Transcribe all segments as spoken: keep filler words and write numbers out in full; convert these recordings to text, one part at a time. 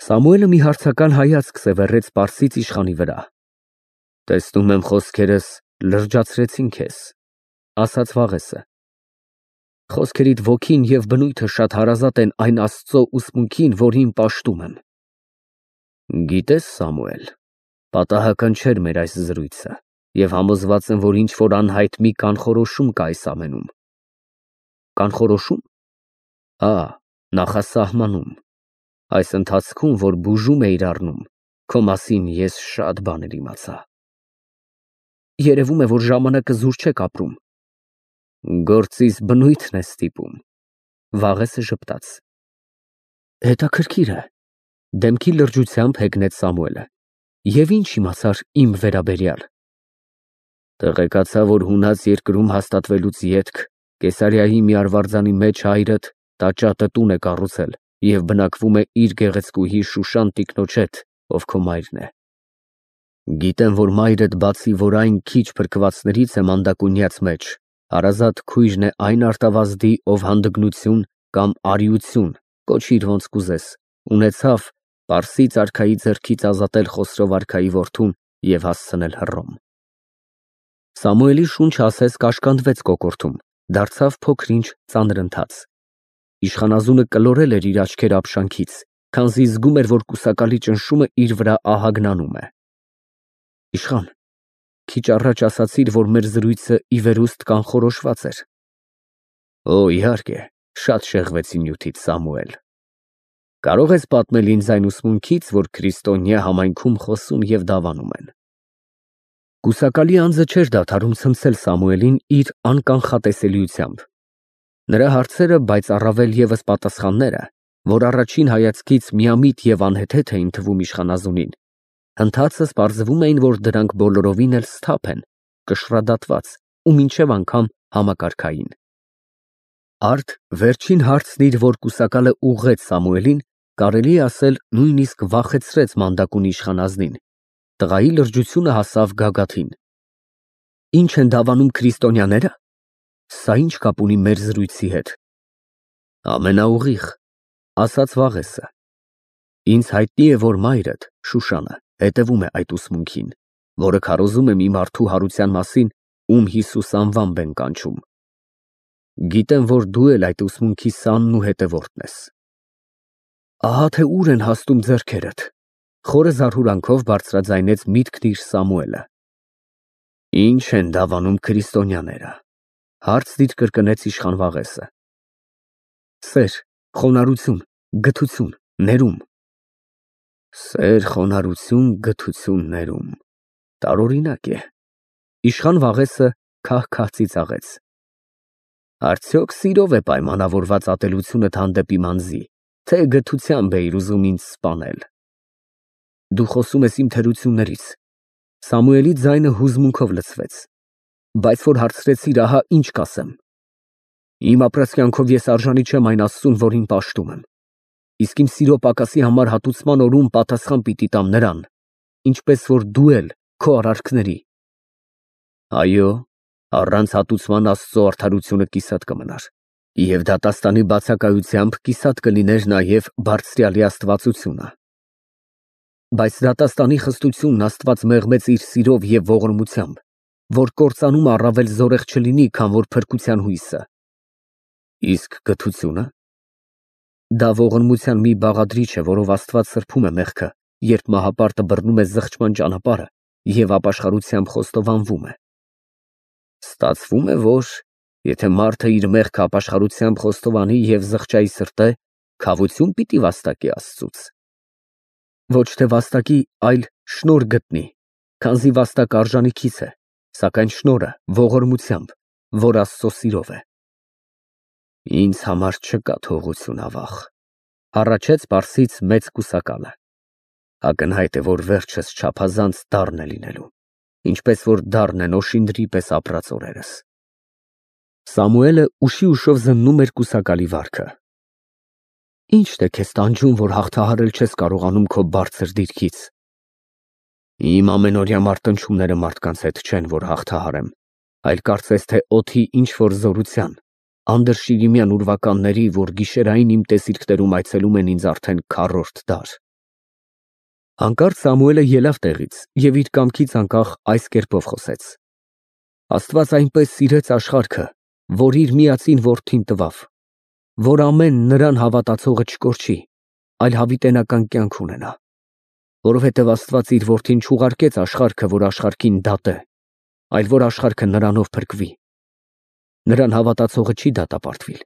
Սամուելը մի հարցական հայացք սևեռեց պարսից իշխանի վրա։ Տեսնում եմ խոսքերս լրջացրեցին քեզ, ասաց Վաղեսը։ Խոսքերիդ ոգին և բնույթը շատ հարազատ են այն Աստծո ուսմունքին, որին պաշտում եմ։ Գիտես, Սամուել, պատահական չէր մեր այս զրույցը, և համոզված եմ, որ ինչ-որ անհայտ մի կանխորոշում կա այս ամենում։ Կանխորոշո՞ւմ։ Հա, նախասահմանում։ Այս ընթացքում, որ բուժում էիր առնում, քո մասին ես շատ բաներ իմացա։ Երևում է, որ ժամանակը զուր չեք ապրում։ Գործիս բնույթն է ստիպում։ Վաղեսը ժպտաց։ Հետաքրքիր է, դեմքի լրջությամբ հեգնեց Սամուելը։ Եվ ինչ իմացար իմ վերաբերյալ։ Տեղեկացա, որ հունած երկրում հաստատվելուց ետք Կեսարիայի մի արվարձանի մեջ հայրդ տաճատը տուն է կառուցել և բնակվում է իր գեղեցկուհի Շուշան տիկնոջ հետ, ով քո մայրն է։ Գիտեմ, որ մայրդ բացի, որ այն քիչ փրկվածներից է մանդակունյաց մեջ, հարազատ քույրն է այն արտավազդի, ով հանդգնություն կամ արիություն, կոչիր ոնց կուզես, ունեցավ Պարսից արքայի ձեռքից ազատել Խոսրով արքայի որդուն և հասցնել Հռոմ։ Սամուելի շունչը ասես կաշկանդվեց կոկորդում, դարձավ փոքր-ինչ ծանրընթաց։ Իշխանազունը կլորել էր իր աչքերը ապշանքից, քանզի զգում էր, որ կուսակալի ճնշումը իր վրա ահագնանում է։ Իշխան, քիչ առաջ ասացիր, որ մեր զրույցը ի վերուստ կանխորոշված էր։ Օ, իհարկե, շատ շեղվեցի նյութից, Սամուել։ Կարող ես պատմել ինձ այն ուսմունքից, որ քրիստոնյա համայնքում խոսում և դավանում են։ Կուսակալի անձը չէր դադարում ցնցել Սամուելին իր անկանխատեսելիությամբ։ Նրա հարցերը, բայց առավել ևս պատասխանները, որ առաջին հայացքից միամիտ և անհեթեթ էին թվում իշխանազունին, հնդհածս պարզվում էին, որ դրանք բոլորովին էլ սթափ են, կշռադատված ու մինչև անգամ համակարգային։ Արդ վերջին հարցն իր, որ կուսակալը ուղղեց Սամուելին, կարելի է ասել նույնիսկ վախեցրեց մանդակուն իշխանազնին։ Տղայի լրջությունը հասավ գագաթին։ Ինչ են դավանում քրիստոնյաները։ Սա ինչ կապ ունի մեր զրույցի հետ։ Ամենաուղիղ, ասաց Վաղեսը։ Ինձ հայտնի է, որ մայրդ, Շուշանը, հետևում է այդ ուսմունքին, որը քարոզում է մի մարդու հարության մասին, ում Հիսուս անվամբ են կանչում։ Գիտեմ, որ դու էլ այդ ուսմունքի սանն ու հետևորդն ես։ Ահա թե ուր են հասնում ձեռքերդ, խորը զարհուրանքով բարձրաձայնեց միտքն իր Սամուելը։ Ինչ են դավանում քրիստոնյաները, հարցն իր կրկնեց իշխան Վաղեսը։ Սեր, խոնարհություն, գթություն, ներում։ Սեր, խոնարհություն, գթություն, ներում։ Տարօրինակ է։ Իշխան Վաղեսը քահ-քահ ծիծաղեց։ Արդյոք սիրով է պայմանավորված ատելությունդ հանդեպ իմ անձի, թե գթությամբ էիր ուզում ինձ սպանել։ Դու խոսում ես իմ թերություններից։ Սամուելի ձայնը հուզմունքով լցվեց։ Բայց որ հարցրեցիր, ահա ինչ կասեմ։ Իմ ապրած կյանքով ես արժանի չեմ այն Աստծուն, որին պաշտում եմ։ Իսկ իմ սիրո պակասի համար հատուցման օրում պատասխան պիտի տամ նրան, ինչպես որ դու էլ քո արարքների։ Այո, առանց հատուցման Աստծո արդարությունը կիսատ կմնար, և դատաստանի բացակայությամբ կիսատ կլիներ նաև բարձրյալի աստվածությունը։ Բայց դատաստանի խստությունն Աստված մեղմեց իր սիրով և ողորմությամբ, որ կործանումը առավել զորեղ չլինի, քան որ փրկության հույսը։ Իսկ գթությունը։ Դա ողորմության մի բաղադրիչ է, որով Աստված սրբում է մեղքը, երբ մահապարտը բռնում է զղջման ճանապարհը և ապաշխարությամբ խոստովանվում է։ Ստացվում է, որ եթե մարդը իր մեղքը ապաշխարությամբ խոստովանի և զղջայի սրտե, քավություն պիտի վաստակի Աստծուց։ Ոչ թե վաստակի, այլ շնորհ գտնի, քանզի վաստակը արժանիքից է, սակայն շնորհը ողորմությամբ, որ Աստծո սիրով է։ Ինձ համար չկա թողություն, ավաղ, հառաչեց պարսից մեծ կուսակալը։ Ակնհայտ է, որ վերջս չափազանց դառն է լինելու, ինչպես որ դառն են օշինդրի պես ապրած օրերս։ Սամուելը ուշի ուշով զննում էր կուսակալի վարքը։ Ի՞նչն է քեզ տանջում, որ հաղթահարել չես կարողանում քո բարձր դիրքից։ Իմ ամենօրյա մարտնչումները մարդկանց հետ չեն, որ հաղթահարեմ, այլ կարծես թե օդի ինչ-որ զորության, անդրշիրիմյան ուրվականների, որ գիշերային իմ տեսիլքներում այցելում են ինձ արդեն քառորդ դար։ Հանկարծ Սամուելը ելավ տեղից և իր կամքից անկախ այս կերպով խոսեց. Աստված այնպես սիրեց աշխարհքը, որ իր միածին որդին տվավ, որ ամեն նրան հավատացողը չկորչի, այլ հավիտենական կյանք ունենա, որովհետև Աստված իր որդին չուղարկեց աշխարհքը, որ աշխարհքին դատե, այլ որ աշխարհքը նրանով փրկվի։ Նրան հավատացողը չի դատապարտվիլ,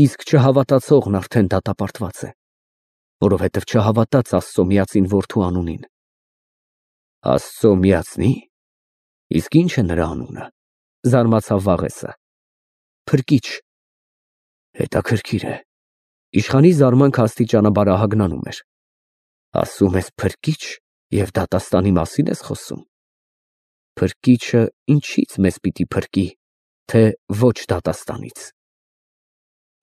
իսկ չհավատացողն արդեն դատապարտված է, որովհետև չհավատաց Աստծո միածին որդու անունին։ Աստծո միածնի՞։ Իսկ ի՞նչ է նրա անունը, զարմացավ Վաղեսը։ Փրկիչ։ Հետաքրքիր է։ Իշխանի զարմանքը աստիճանաբար բարահագնանում էր։ Ասում ես փրկիչ և դատաստանի մասին ես խոսում։ Փրկիչը ինչի՞ց մեզ պիտի փրկի, թե ոչ դատաստանից։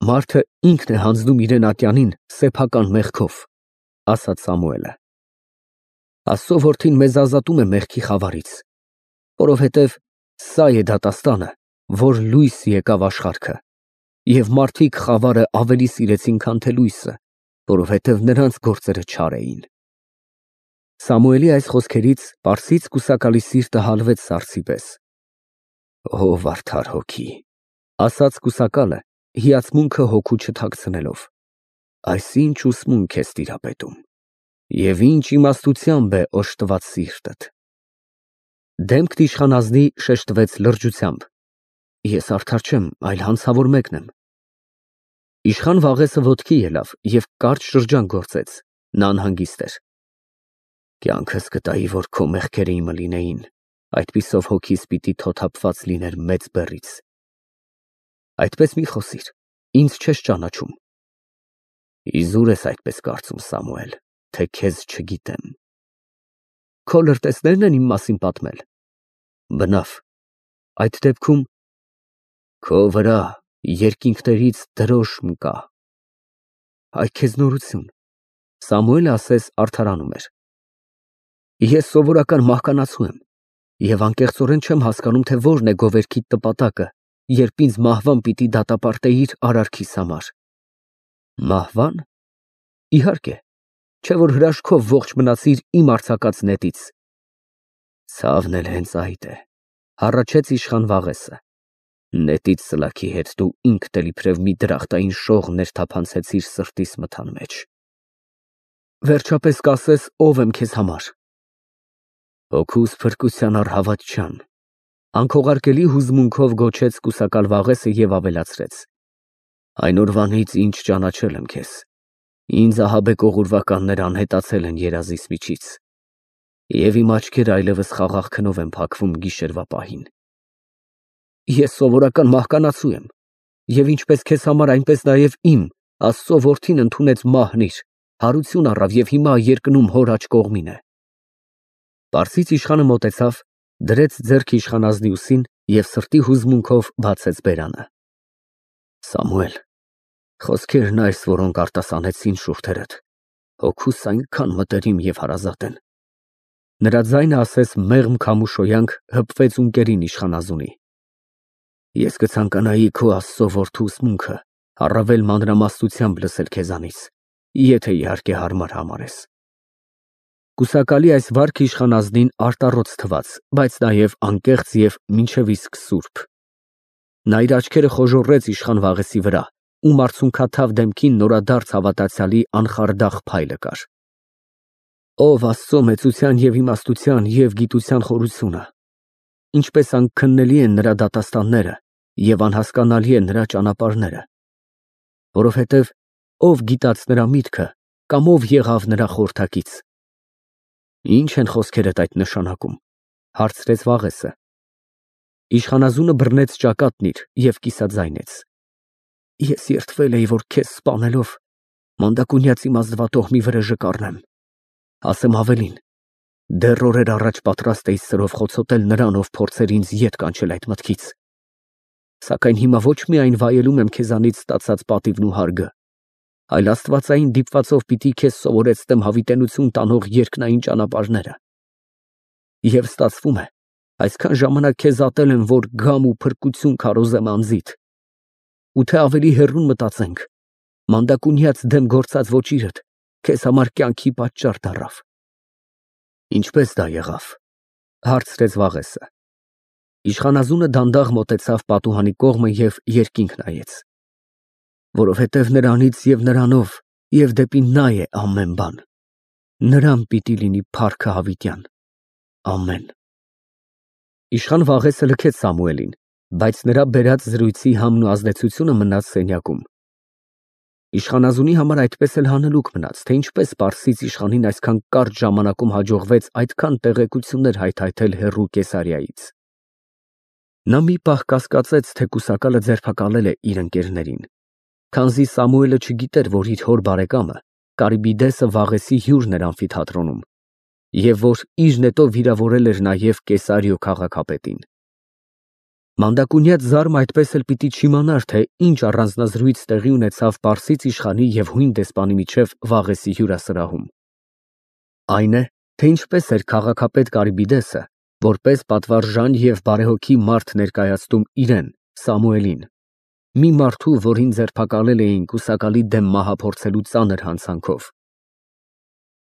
Մարդը ինքն է հանձնում իրեն ատյանին սեփական մեղքով, ասաց Սամուելը։ Աստծո որդին մեզ ազատում է մեղքի խավարից, որովհետև սա է դատաստանը, որ լույս եկավ աշխարհքը, և մարդիկ խավարը ավելի սիրեցին, քան թե լույսը, որովհետև նրանց գործերը չար էին։ Սամուելի այս խոսքերից պարսից կուսակալի սիրտը հալվեց սառցի պես։ Ո վարդար հոգի, ասաց կուսակալը, հիացմունքը հոգու չթաքցնելով, այս ինչ ուսմունք ես տիրապետում, և ինչ իմաստությամբ է օժտված սիրտդ։ Դեմքն իշխանազնի շեշտվեց լրջությամբ։ Ես արդար չեմ, այլ հանցավոր մեկն եմ։ Իշխան Վաղեսը ոտքի ելավ և կարճ շրջան գործեց, նա անհանգիստ էր։ Կյանքս կտայի, որ քո մեղքերը իմը լինեին, այդպիսով հոգիս պիտի թոթափված լիներ մեծ բեռից։ Այդպես մի խոսիր, ինձ չես ճանաչում։ Իզուր ես այդպես կարծում, Սամուել, թե քեզ չգիտեմ։ Քո լրտեսնե՞րն են իմ մասին պատմել։ Բնավ, այդ դեպքում քո վրա երկինքներից դրոշմ կա։ Այ քեզ նորություն, Սամուելը ասես արդարանում էր։ Ես սովորական մահկանացու եմ և անկեղծորեն չեմ հասկանում, թե որն է գովերքիդ նպատակը, երբ ինձ մահվան պիտի դատապարտեիր արարքիս համար։ Մահվա՞ն։ Իհարկե, չէ որ հրաշքով ողջ մնացիր իմ արձակած նետից։ Ցավն էլ հենց այդ է, հառաչեց իշխան Վաղեսը։ Նետից ծլաքի հետ դու ինքդ էլ իբրև մի դրախտային շող ներթափանցեցիր սրտիս մթան մեջ։ Վերջապես կասես ով եմ քեզ համար։ Հոգուս փրկության առհավատչան, անքողարկելի հուզմունքով գոչեց կուսակալ Վաղեսը և ավելացրեց. Այն օրվանից ինչ ճանաչել եմ քեզ, ինձ ահաբեկ օղուրվականներ անհետացել են երազիս միջից, և իմ աչքերը այլևս խաղաղ քնով են փակվում գիշերվա պահին։ Ես սովորական մահկանացու եմ, և ինչպես քեզ համար, այնպես նաև իմ, Աստծո որդին ընդունեց մահն իր, հարություն առավ և հիմա երկնում հոր աջ կողմին է։ Պարսից իշխանը մոտեցավ, դրեց ձեռքը իշխանազնի ուսին և սրտի հուզմունքով բացեց բերանը։ Սամուել, խոսքերն այս, որոնք արտասանեցին շուրթերդ, հոգուս այնքան մտերիմ և հարազատ են։ Նրա ձայնը ասես մեղմ քամու շոյանք հպվեց ունկերին իշխանազունի։ Ես կցանկանայի քո Աստծո որդու ուսմունքը առավել մանրամասնությամբ լսել քեզանից, եթե իհարկե հարմար համարես։ Կուսակալի այս վարքը իշխանազնին արտառոց թվաց, բայց նաև անկեղծ և մինչև իսկ սուրբ։ Նա իր աչքերը խոժոռեց իշխան Վաղեսի վրա, ում արցունքաթավ դեմքին նորադարձ հավատացյալի անխարդախ փայլը կար։ Ով Աստծո մեծության և իմաստության և գիտության խորությունը, ինչպես անքննելի են նրա դատաստանները և անհասկանալի են նրա ճանապարհները, որովհետև ով գիտաց նրա միտքը կամ ով եղավ նրա խորհրդակից։ Ի՞նչ են խոսքերդ այդ նշանակում, հարցրեց Վաղեսը։ Իշխանազունը բռնեց ճակատն իր և կիսաձայնեց. Ես երդվել էի, որ քեզ սպանելով մանդակունյաց իմ ազնվատոհմի վրեժը կառնեմ, ասեմ ավելին, դեռ օրեր առաջ պատրաստ էի սրով խոցոտել նրան, ով փորձեր ինձ ետ կանչել այդ մտքից, սակայն հիմա ոչ միայն վայելում եմ քեզանից ստացած պատիվն ու հարգը, այլ աստվածային դիպվածով պիտի քեզ սովորեցնեմ հավիտենություն տանող երկնային ճանապարհները։ Եվ ստացվում է, այսքան ժամանակ քեզ ատել եմ, որ գամ ու փրկություն քարոզեմ անձիդ, ու թե ավելի հեռուն մտածենք, մանդակունյաց դեմ գործած ոճիրդ քեզ համար կյանքի պատճառ դառավ։ Ինչպես դա եղավ, հարցրեց Վաղեսը։ Իշխանազունը դանդաղ մոտեցավ պատուհանի կողմը և երկինք նայեց։ Որովհետև նրանից և նրանով և դեպի նա է ամեն բան, նրան պիտի լինի փառքը հավիտյան, ամեն։ Իշխան Վաղեսը լքեց Սամուելին, բայց նրա բերած զրույցի համն ու ազդեցությունը մնաց սենյակում։ Իշխանազունի համար այդպես էլ հանելուկ մնաց, թե ինչպես պարսից իշխանին այսքան կարճ ժամանակում հաջողվեց այդքան տեղեկություններ հայթայթել հեռու Կեսարիայից։ Նա մի պահ կասկածեց, թե կուսակալը ձերբակալել է իր ընկերներին, քանզի Սամուելը չգիտեր, որ իր հոր բարեկամը Կարիբիդեսը Վաղեսի հյուրն էր ամֆիթատրոնում, և որ իր նետով վիրավորել էր նաև Կեսարիո քաղաքապետին։ Մանդակունյաց զարմը այդպես էլ պիտի չիմանար, թե ինչ առանձնազրույց տեղի ունեցավ պարսից իշխանի և հույն դեսպանի միջև Վաղեսի հյուրասրահում։ Այն է, թե ինչպես էր քաղաքապետ Կարիբիդեսը, որպես պատվարժան և բարեհոգի մարդ ներկայացնում իրեն, Սամուելին, մի մարդու, որին ձերբակալել էին կուսակալի դեմ մահը փորձելու ծանր հանցանքով։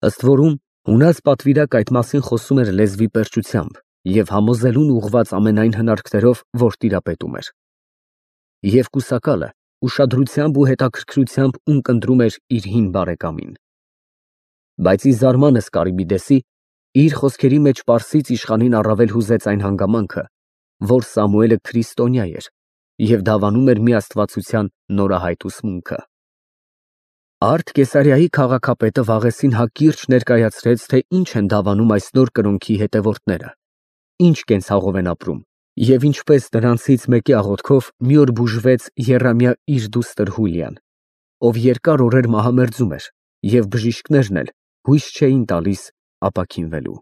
Ըստ որում, ունած պատվիրակ այդ մասին խոսում էր լեզվի պերճությամբ և համոզելուն ուղղված ամենայն հնարքներով, որ տիրապետում էր։ Եվ կուսակալը ուշադրությամբ ու հետաքրքրությամբ ունկնդրում էր իր հին բարեկամին։ Բայց ի զարմանս Կարիբիդեսի, իր խոսքերի մեջ պարսից իշխանին առավել հուզեց այն հանգամանքը, որ Սամուելը քրիստոնյա էր և դավանում էր մի աստվածության նորահայտ ուսմունքը։ Արդ Կեսարիայի քաղաքապետը Վաղեսին հակիրճ ներկայացրեց, թե ինչ են դավանում այս նոր կրոնքի հետևորդները, ինչ կենցաղով են ապրում և ինչպես նրանցից մեկի աղոթքով մի օր բուժվեց եռամյա իր դուստր Հուլիան, ով երկար օրեր մահամերձում էր, և բժիշկներն էլ հույս չէին տալիս ապաքինվելու։